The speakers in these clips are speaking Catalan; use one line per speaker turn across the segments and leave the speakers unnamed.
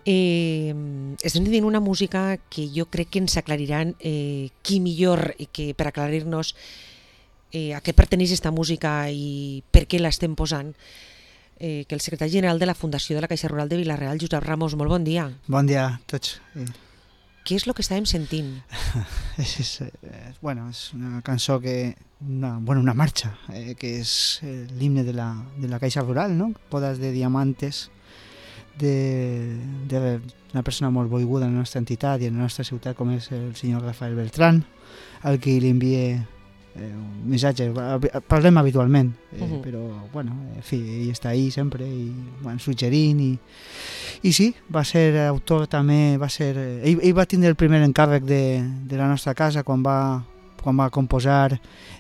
Estem dient una música que jo crec que ens aclariran qui millor que per aclarir-nos a què perteneix aquesta música i per què l'estem posant, que el secretari general de la Fundació de la Caixa Rural de Vila-real, Josep Ramos. Molt bon dia.
Bon dia a tots.
Què és el que estàvem sentint?
És una cançó una marxa, que és l'himne de la Caixa Rural, no? Bodas de diamantes, d'una persona molt volguda en la nostra entitat i en la nostra ciutat, com és el senyor Rafael Beltrán, al qui li envia un missatge. Parlem habitualment, però en fi, ell està ahí sempre i suggerint i sí, va ser autor també, ell va tindre el primer encàrrec de la nostra casa quan va composar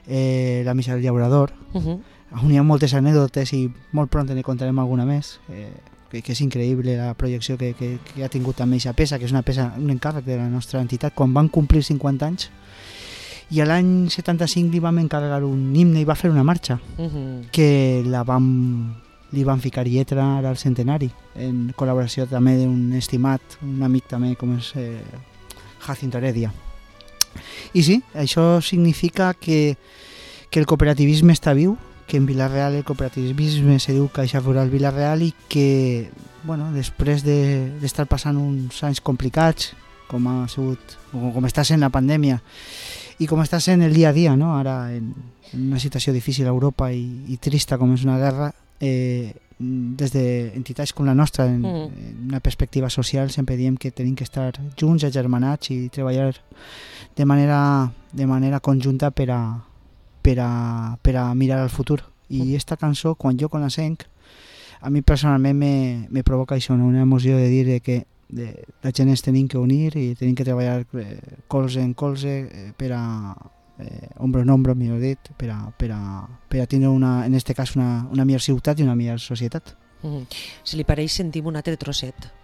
la missa del llaurador. On hi ha moltes anècdotes i molt pront ne contarem alguna més, que és increïble la projecció que ha tingut també aquesta peça, que és un encàrrec de la nostra entitat quan van complir 50 anys. I a l'any 75 li vam encarregar un himne i va fer una marxa que li van ficar lletra ara al centenari, en col·laboració també d'un estimat, un amic també com és Jacinto Heredia. I sí, això significa que el cooperativisme està viu, que en Vila-real el cooperativisme se diu Caixa Rural Vila-real i que després d'estar passant uns anys complicats com ha sigut, com està sent la pandèmia i com està sent el dia a dia, no? Ara en una situació difícil a Europa i trista com és una guerra, des d'entitats com la nostra, en una perspectiva social, sempre diem que tenim que estar junts, agermanats i treballar de manera conjunta per a mirar al futur. I aquesta cançó, quan jo la sent, a mi personalment me provoca això, una emoció de dir que la gent ens tenim que unir i tenim que treballar colze en colze per a ombro en ombro, millor dit, per a tindre en aquest cas una millor ciutat i una millor societat.
Si li pareix, sentim un altre trosset.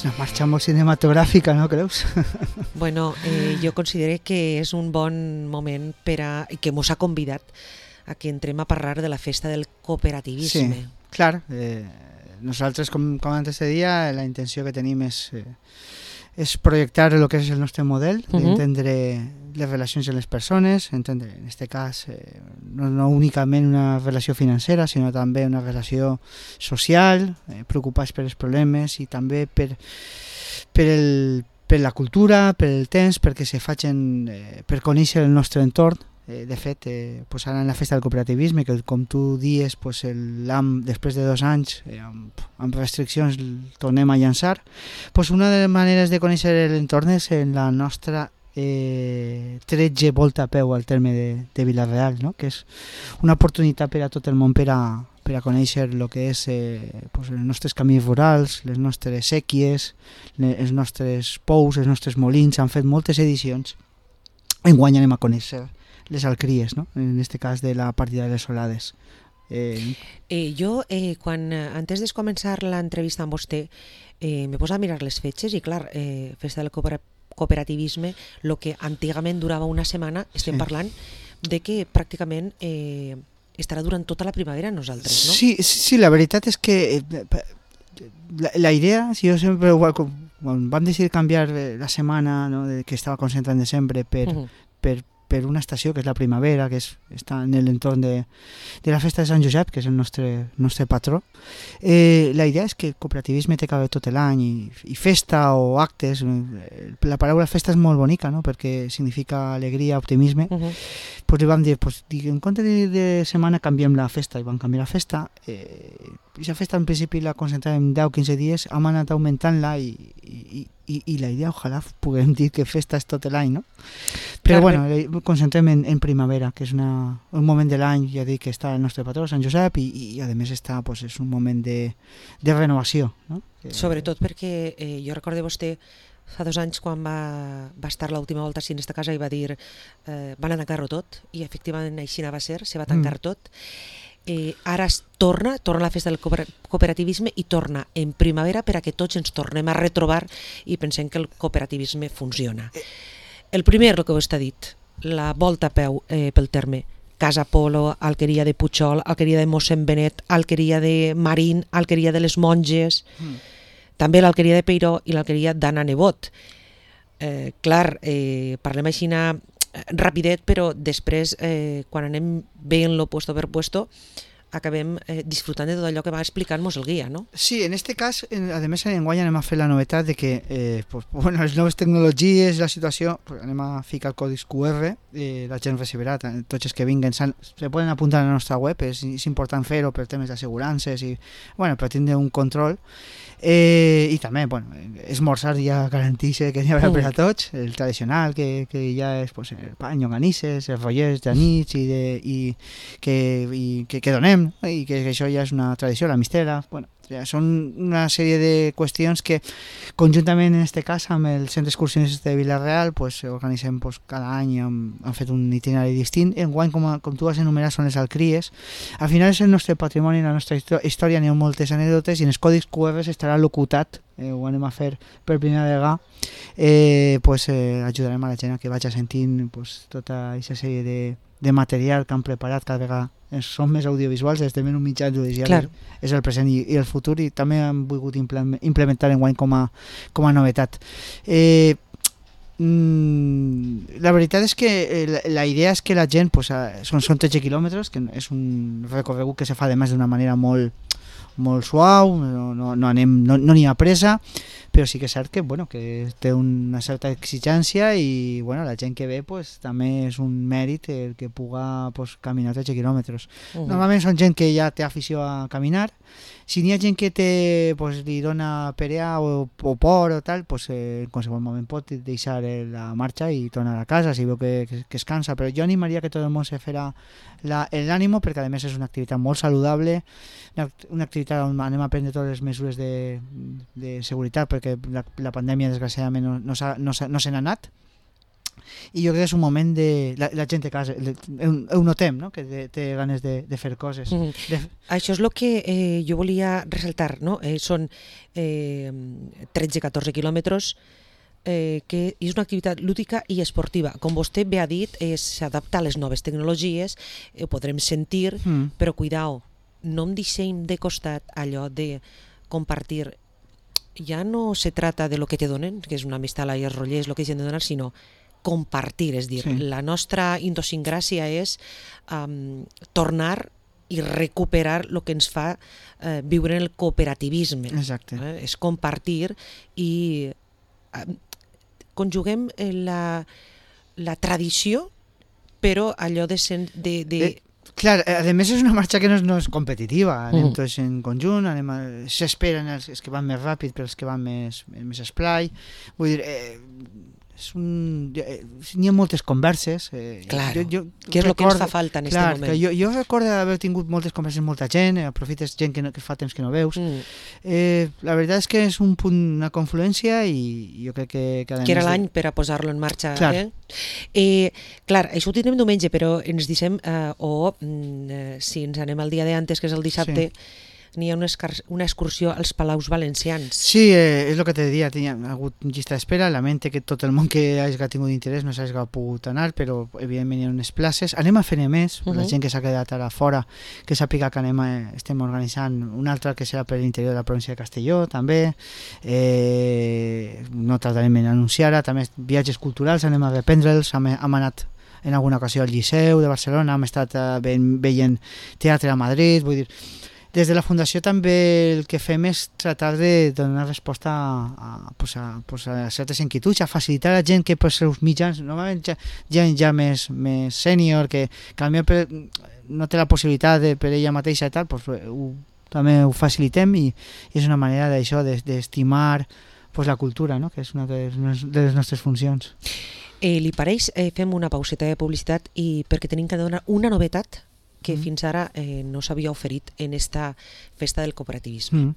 Una marxa molt cinematogràfica, no creus?
Bueno, jo considero que és un bon moment que mos ha convidat a que entrem a parlar de la festa del cooperativisme.
Sí, clar. Nosaltres, com antes te deia, la intenció que tenim és projectar el que és el nostre model, d'entendre les relacions de les persones, entendre, en aquest cas, no únicament una relació financera, sinó també una relació social, preocupats per els problemes i també per la cultura, per el temps, perquè se facin per conèixer el nostre entorn. De fet, ara en la festa del cooperativisme, que com tu dius, després de 2 anys amb restriccions tornem a llançar, una de les maneres de conèixer l'entorn és en la nostra 13 volta a peu al terme de Vila-real, no? Que és una oportunitat per a tot el món per a conèixer el que és els nostres camins rurals, les nostres sèquies, els nostres pous, els nostres molins. Han fet moltes edicions. Enguany anem a conèixer les alcries, no? En aquest cas de la partida de les solades.
Jo, antes de començar l'entrevista amb vostè, me posa a mirar les fetges i, clar, festa del cooperativisme, el que antigament durava una setmana, estem parlant de que pràcticament estarà durant tota la primavera nosaltres, no?
Sí, la veritat és que la idea, si jo sempre, quan vam decidir canviar la setmana, no, que estava concentrada en desembre per una estació que és la primavera, que està en l'entorn de la festa de Sant Josep, que és el nostre patró. La idea és que el cooperativisme té que haver tot l'any i festa o actes. La paraula festa és molt bonica, no? Perquè significa alegria, optimisme. Li vam dir, en compte de setmana canviem la festa, i vam canviar la festa. I la festa en principi la concentràvem 10-15 dies, hem anat augmentant-la i i la idea, ojalà puguem dir que festa és tot l'any, no? Però bueno, concentrem en primavera, que és un moment de l'any, ja dic, que està el nostre patró, Sant Josep, i a més està, pues, és un moment de renovació, no?
Sobretot perquè jo recordo vostè fa 2 anys quan va estar l'última volta així en esta casa i va dir van a tancar-ho tot, i efectivament així va ser, se va tancar tot. Ara torna la festa del cooperativisme i torna en primavera per a que tots ens tornem a retrobar i pensem que el cooperativisme funciona. El primer, el que vostè ha dit, la volta a peu pel terme, Casa Polo, Alqueria de Puigol, Alqueria de Mossèn Benet, Alqueria de Marín, Alqueria de les Monges, també l'Alqueria de Peiró i l'Alqueria d'Anna Nebot. Clar, parlem així rapidet, però després, quan anem veient-lo puesto per puesto, acabem disfrutant de tot allò que va explicant-nos el guia, no?
Sí, en este cas, a més, enguany anem a fer la novetat de que les noves tecnologies, la situació, anem a ficar codis QR, la gent recibirà, tots els que vinguen se poden apuntar a la nostra web, és important fer-ho per temes d'assegurances i, bueno, per tindre un control. I també, bueno, esmorzar ja garanteix que n'hi haurà per a tots, el tradicional que ja és pues, el pa, llonganisses, els rotllers de nits i que donem, i que això ja és una tradició, la mistela, bueno, ja són una sèrie de qüestions que conjuntament en este cas amb el centre excursionista de Vila-real pues, organitzem pues, cada any, han fet un itinerari distint. Enguany, com tu has enumerat, són les alcries. Al final és el nostre patrimoni, la nostra història, n'hi ha moltes anècdotes i en els codis QR estarà locutat, ho anem a fer per primera vegada, pues, ajudarem a la gent a que vagi sentint pues, tota aquesta sèrie de material que han preparat cada vegada. Són més audiovisuals, estem en un mitjà judicial, claro. És el present i el futur, i també han volgut implementar enguany com a novetat. La veritat és que la idea és que la gent, pues, són 13 quilòmetres, que és un recorregut que se fa además d'una manera molt suau, no n'hi ha pressa, però sí que és cert que, bueno, que té una certa exigència i bueno, la gent que ve pues, també és un mèrit el que puga pues, caminar 13 quilòmetres. Normalment són gent que ja té afició a caminar. Si n'hi ha gent que pues, li dona perea o por o tal, pues, en qualsevol moment pot deixar la marxa i tornar a casa si veu que es cansa, però jo animaria que tot el món se farà l'ànimo, perquè a més és una activitat molt saludable, una activitat on anem a prendre totes les mesures de seguretat, perquè la pandèmia desgraciadament no se n'ha anat, i jo crec que és un moment de la gent de casa, ho notem, no? Que té ganes de fer coses.
Això és el que jo volia ressaltar, no? Són 13-14 quilòmetres, que és una activitat lúdica i esportiva. Com vostè bé ha dit, s'adapta a les noves tecnologies, ho podrem sentir, però cuidao, no em deixem de costat allò de compartir. Ja no se trata de lo que te donen, que és una mistela i els rotllers, el que deixen de donar, sinó compartir, és dir, la nostra idiosincràsia és tornar i recuperar el que ens fa viure en el cooperativisme.
Exacte.
És compartir i conjuguem la tradició, però allò de
clar, a més és una marxa que no és competitiva, anem tots en conjunt, s'esperen els que van més ràpid per els que van més esplai, vull dir, n'hi ha moltes converses.
Claro, que és el que ens fa falta en aquest moment.
Jo recordo haver tingut moltes converses amb molta gent, aprofites gent que fa temps que no veus. La veritat és que és un punt, una confluència, i jo crec que
era l'any per a posar-lo en marxa. Clar, això ho tindrem diumenge, però ens deixem, si ens anem al dia d'antes, que és el dissabte, n'hi ha una excursió als Palaus Valencians.
Sí, és el que te diria, ha hagut llista d'espera, lamenте que tot el món que hagi tingut interès no s'hagi pogut anar, però evidentment hi ha unes places. Anem a fer més, la gent que s'ha quedat ara fora, que sàpiga que estem organitzant un altre que serà per l'interior de la província de Castelló, també, no tardarem en anunciar, també viatges culturals, anem a reprendre'ls, hem anat en alguna ocasió al Liceu de Barcelona, hem estat veient teatre a Madrid, vull dir, des de la Fundació també el que fem és tratar de donar resposta a certes inquietuds, a facilitar a la gent que per seus mitjans, normalment gent ja més sènior, que potser no té la possibilitat per ella mateixa i tal, també ho facilitem, i és una manera d'això, d'estimar pues, la cultura, no? Que és una de les nostres funcions.
Li pareix, fem una pauseta de publicitat i perquè tenim que donar una novetat que fins ara no s'havia oferit en esta festa del cooperativisme.